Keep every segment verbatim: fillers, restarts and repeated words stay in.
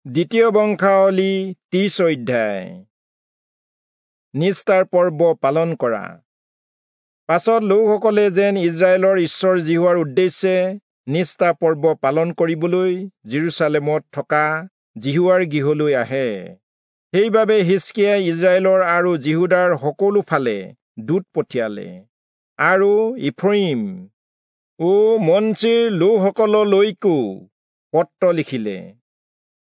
দ্বিতীয় বংশাৱলী ত্ৰিশ অধ্যায়। নিস্তাৰ পৰ্ব পালন কৰা। পাছত লোকসকলে যেন ইস্ৰায়েলৰ ঈশ্বৰ যিহোৱাৰ উদ্দেশ্যে নিস্তাৰ পৰ্ব পালন কৰিবলৈ যিৰূচালেমত থকা যিহোৱাৰ গৃহলৈ আহে, সেইবাবে হিষ্কিয়াই ইস্ৰায়েলৰ আৰু যিহূদাৰ সকলো ফালে দূত পঠিয়ালে আৰু ইফ্ৰয়িম ও মনচিৰ লোকসকললৈকো পত্ৰ লিখিলে।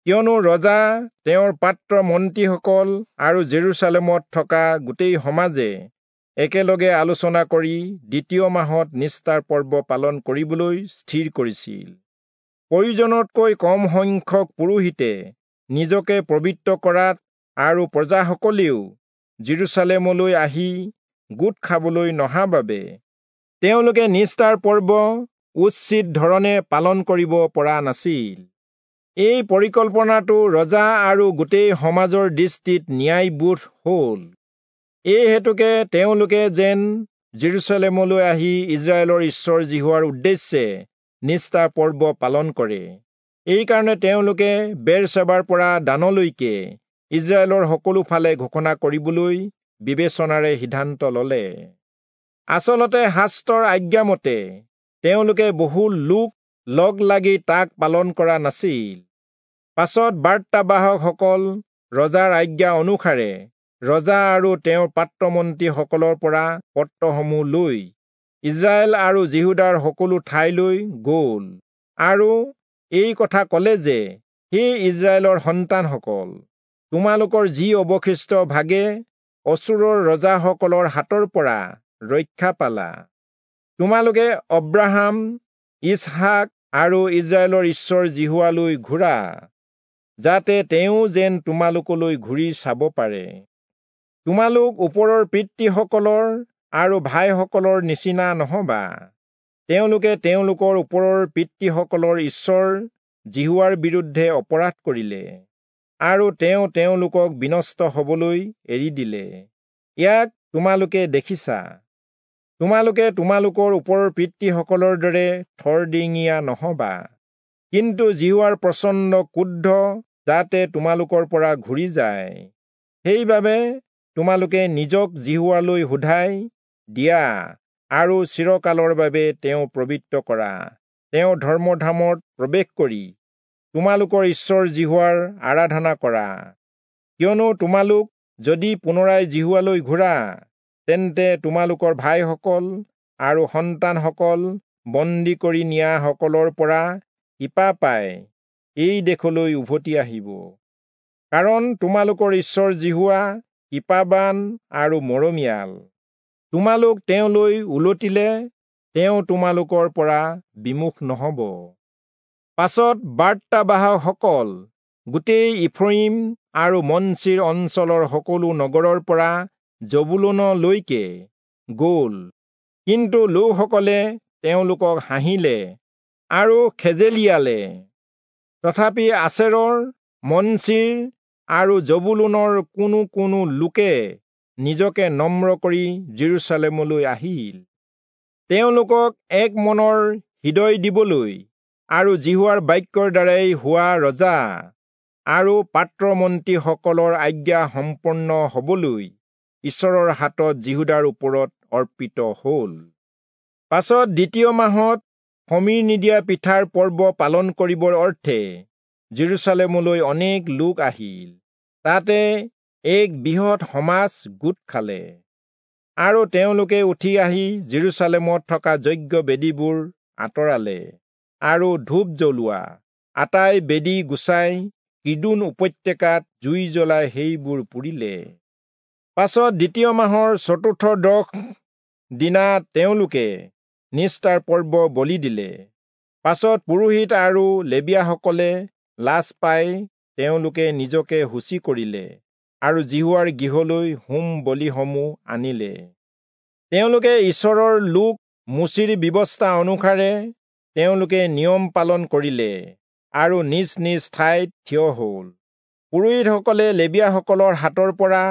কিয়নো ৰজা, তেওঁৰ পাত্ৰ মন্ত্ৰীসকল আৰু জেৰুচালেমত থকা গোটেই সমাজে একেলগে আলোচনা কৰি দ্বিতীয় মাহত নিস্তাৰ পৰ্ব পালন কৰিবলৈ স্থিৰ কৰিছিল। প্ৰয়োজনতকৈ কম সংখ্যক পুৰোহিতে নিজকে পবিত্ৰ কৰাত আৰু প্ৰজাসকলেও জেৰুচালেমলৈ আহি গোট খাবলৈ নহা বাবে তেওঁলোকে নিস্তাৰ পৰ্ব উচিত ধৰণে পালন কৰিব পৰা নাছিল। এই পৰিকল্পনাটো ৰজা আৰু গোটেই সমাজৰ দৃষ্টিত ন্যায়বোধ হ'ল। এই হেতুকে তেওঁলোকে যেন জেৰুচালেমলৈ আহি ইস্ৰায়েলৰ ঈশ্বৰ যিহোৱাৰ উদ্দেশ্যে নিস্তাৰ পৰ্ব পালন কৰে, এইকাৰণে তেওঁলোকে বেৰচেবাৰ পৰা দানলৈকে ইস্ৰায়েলৰ সকলো ফালে ঘোষণা কৰিবলৈ বিবেচনাৰে সিদ্ধান্ত ল'লে। আচলতে শাস্ত্ৰৰ আজ্ঞামতে তেওঁলোকে বহু লোক লগ লাগি তাক পালন কৰা নাছিল। পাছত বাৰ্তাবাহকসকল ৰজাৰ আজ্ঞা অনুসাৰে ৰজা আৰু তেওঁৰ পাত্ৰমন্ত্ৰীসকলৰ পৰা পত্ৰসমূহ লৈ ইস্ৰায়েল আৰু যিহূদাৰ সকলো ঠাইলৈ গ'ল আৰু এই কথা ক'লে যে, হে ইস্ৰায়েলৰ সন্তানসকল, তোমালোকৰ যি অৱশিষ্ট ভাগে অচূৰৰ ৰজাসকলৰ হাতৰ পৰা ৰক্ষা পালা, তোমালোকে অব্ৰাহাম, ইচহাক আৰু ইস্ৰায়েলৰ ঈশ্বৰ যিহোৱালৈ ঘূৰা, যাতে তেওঁ যেন তোমালোকলৈ ঘূৰি চাব পাৰে। তোমালোক ওপৰৰ পিতৃসকলৰ আৰু ভাইসকলৰ নিচিনা নহবা। তেওঁলোকে তেওঁলোকৰ ওপৰৰ পিতৃসকলৰ ঈশ্বৰ যিহোৱাৰ বিৰুদ্ধে অপৰাধ কৰিলে আৰু তেওঁ তেওঁলোকক বিনষ্ট হবলৈ এৰি দিলে। ইয়াক তোমালোকে দেখিছা। তোমালোকে তোমালোকৰ ওপৰৰ পিতৃসকলৰ দৰে থৰডিঙীয়া নহবা, কিন্তু যিহোৱাৰ প্ৰচণ্ড ক্ৰোধ যাতে তোমালোকৰ পৰা ঘূৰি যায়, সেইবাবে তোমালোকে নিজক যিহোৱালৈ সোধাই দিয়া আৰু চিৰকালৰ বাবে তেওঁ পবিত্ৰ কৰা তেওঁ ধৰ্মধামত প্ৰৱেশ কৰি তোমালোকৰ ঈশ্বৰ যিহোৱাৰ আৰাধনা কৰা। কিয়নো তোমালোক যদি পুনৰাই যিহোৱালৈ ঘূৰা, তেন্তে তোমালোকৰ ভাইসকল আৰু সন্তানসকল বন্দী কৰি নিয়াসকলৰ পৰা কৃপা পাই এই দেশলৈ উভতি আহিব। কাৰণ তোমালোকৰ ঈশ্বৰ যিহোৱা কৃপাবান আৰু মৰমীয়াল। তোমালোক তেওঁলৈ উলটিলে তেওঁ তোমালোকৰ পৰা বিমুখ নহ'ব। পাছত বাৰ্তাবাহকসকল গোটেই ইফ্ৰয়িম আৰু মনচিৰ অঞ্চলৰ সকলো নগৰৰ পৰা জবুলূনলৈকে গ'ল, কিন্তু লোকসকলে তেওঁলোকক হাঁহিলে আৰু খেজেলিয়ালে। তথাপি আচেৰৰ, মনচিৰ আৰু জবুলূনৰ কোনো কোনো লোকে নিজকে নম্ৰ কৰি জেৰুচালেমলৈ আহিল। তেওঁলোকক এক মনৰ হৃদয় দিবলৈ আৰু যিহোৱাৰ বাক্যৰ দ্বাৰাই হোৱা ৰজা আৰু পাত্ৰমন্ত্ৰীসকলৰ আজ্ঞা সম্পূৰ্ণ হবলৈ ঈশ্বৰৰ হাতত যিহূদাৰ ওপৰত অৰ্পিত হ'ল। পাছত দ্বিতীয় মাহত খমীৰ নিদিয়া পিঠাৰ পৰ্ব পালন কৰিবৰ অৰ্থে জেৰুচালেমলৈ অনেক লোক আহিল। তাতে এক বৃহৎ সমাজ গোট খালে আৰু তেওঁলোকে উঠি আহি জেৰুচালেমত থকা যজ্ঞ বেদীবোৰ আঁতৰালে আৰু ধূপ জ্বলোৱা আটাই বেদী গুচাই কিদোন উপত্যকাত জুই জ্বলাই সেইবোৰ পুৰিলে। পাছত দ্বিতীয় মাহৰ চতুৰ্থ দশ দিনা তেওঁলোকে নিস্তাৰ পৰ্ব বলি দিলে। পাছত পুৰোহিত আৰু লেবীয়াসকলে লাজ পাই তেওঁলোকে নিজকে শুচি কৰিলে আৰু যিহোৱাৰ গৃহলৈ হোম বলিসমূহ আনিলে। তেওঁলোকে ঈশ্বৰৰ লোক মোচিৰ ব্যৱস্থা অনুসাৰে তেওঁলোকে নিয়ম পালন কৰিলে আৰু নিজ নিজ ঠাইত থিয় হ'ল। পুৰোহিতসকলে লেবীয়াসকলৰ হাতৰ পৰা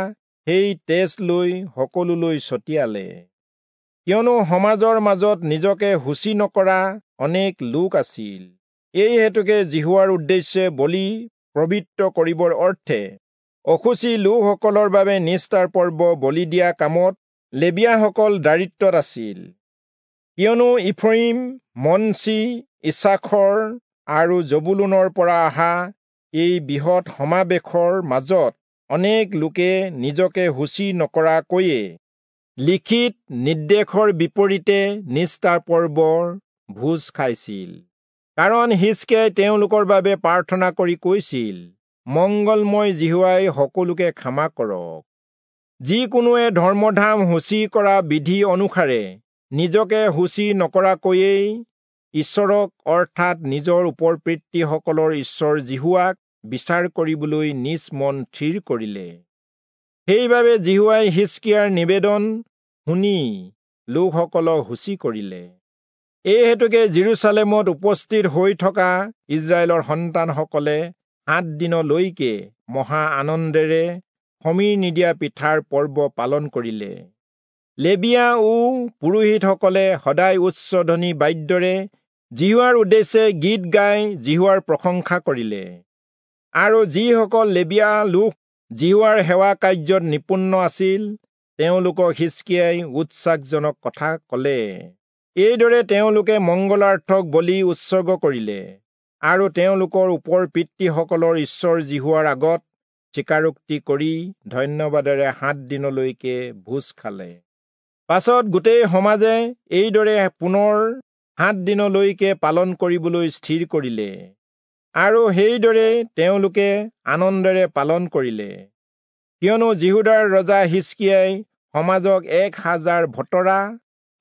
সেই তেজ লৈ সকলোলৈ ছটিয়ালে। কিয়নো সমাজৰ মাজত নিজকে শুচি নকৰা অনেক লোক আছিল। এই হেতুকে যিহোৱাৰ উদ্দেশ্যে বলি পবিত্ৰ কৰিবৰ অৰ্থে অশুচি লোকসকলৰ বাবে নিস্তাৰ পৰ্ব বলি দিয়া কামত লেবীয়াসকল দায়িত্বত আছিল। কিয়নো ইফ্ৰয়িম, মনচি, ইচাখৰ আৰু জবুলূনৰ পৰা অহা এই বৃহৎ সমাৱেশৰ মাজত অনেক লোকে নিজকে শুচি নকৰাকৈয়ে লিখিত নিৰ্দেশৰ বিপৰীতে নিস্তাৰ পৰ্বৰ ভোজ খাইছিল। কাৰণ হিজকিয়াই তেওঁলোকৰ বাবে প্ৰাৰ্থনা কৰি কৈছিল, মংগলময় যিহোৱাই সকলোকে ক্ষমা কৰক। যিকোনোৱে ধৰ্মধাম শুচি কৰা বিধি অনুসাৰে নিজকে শুচি নকৰাকৈয়েই ঈশ্বৰক অৰ্থাৎ নিজৰ ওপৰ পিতৃসকলৰ ঈশ্বৰ যিহোৱাক বিচাৰ কৰিবলৈ নিজ মন থিৰ কৰিলে। সেইবাবে যিহোৱাই হিজকিয়াৰ নিবেদন শুনি লোকসকলক শুচি কৰিলে। এই হেতুকে যিৰূচালেমত উপস্থিত হৈ থকা ইস্ৰায়েলৰ সন্তানসকলে সাত দিনলৈকে মহা আনন্দেৰে খমীৰ নিদিয়া পিঠাৰ পৰ্ব পালন কৰিলে। লেবীয়া ও পুৰোহিতসকলে সদায় উচ্চধ্বনি বাদ্যৰে যিহোৱাৰ উদ্দেশ্যে গীত গাই যিহোৱাৰ প্ৰশংসা কৰিলে। আৰু যিসকল লেবীয়া লোক যিহোৱাৰ সেৱা কাৰ্যত নিপুণ আছিল, তেওঁলোকক হিজকিয়াই উৎসাহজনক কথা কলে। এইদৰে তেওঁলোকে মংগলাৰ্থক বলি উৎসৰ্গ কৰিলে আৰু তেওঁলোকৰ ওপৰ পিতৃসকলৰ ঈশ্বৰ যিহোৱাৰ আগত স্বীকাৰোক্তি কৰি ধন্যবাদেৰে সাত দিনলৈকে ভোজ খালে। পাছত গোটেই সমাজে এইদৰে পুনৰ সাত দিনলৈকে পালন কৰিবলৈ স্থিৰ কৰিলে আৰু সেইদৰে তেওঁলোকে আনন্দেৰে পালন কৰিলে। কিয়নো যিহূদাৰ ৰজা হিজকিয়াই সমাজক এক হাজাৰ ভতৰা,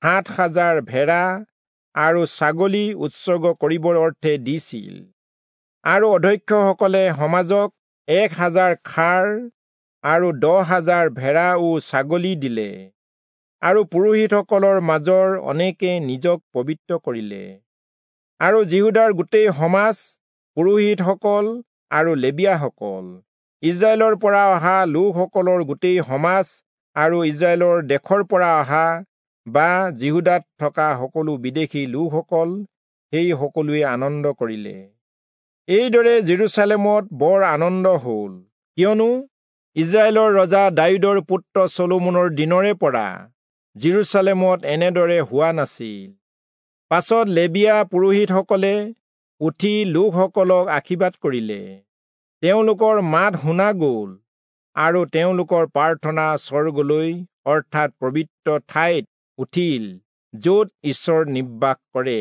সাত হাজাৰ ভেড়া আৰু ছাগলী উৎসৰ্গ কৰিবৰ অৰ্থে দিছিল আৰু অধ্যক্ষসকলে সমাজক এক হাজাৰ খাৰ আৰু দহ হাজাৰ ভেড়া ও ছাগলী দিলে। আৰু পুৰোহিতসকলৰ মাজৰ অনেকে নিজক পবিত্ৰ কৰিলে। আৰু যিহূদাৰ গোটেই সমাজ, পুৰোহিতসকল আৰু লেবীয়াসকল, ইস্ৰায়েলৰ পৰা অহা লোকসকলৰ গোটেই সমাজ আৰু ইস্ৰায়েলৰ দেশৰ পৰা অহা বা যিহূদাত থকা সকলো বিদেশী লোকসকল, সেই সকলোৱে আনন্দ কৰিলে। এইদৰে যিৰূচালেমত বৰ আনন্দ হ'ল, কিয়নো ইস্ৰায়েলৰ ৰজা দায়ূদৰ পুত্ৰ চলোমনৰ দিনৰে পৰা যিৰূচালেমত এনেদৰে হোৱা নাছিল। পাছত লেবীয়া পুৰোহিতসকলে উঠি লোকসকলক আশীৰ্বাদ কৰিলে। তেওঁলোকৰ মাত শুনা গ'ল আৰু তেওঁলোকৰ প্ৰাৰ্থনা স্বৰ্গলৈ অৰ্থাৎ পবিত্ৰ ঠাইত উঠিল, য'ত ঈশ্বৰ নিবাস কৰে।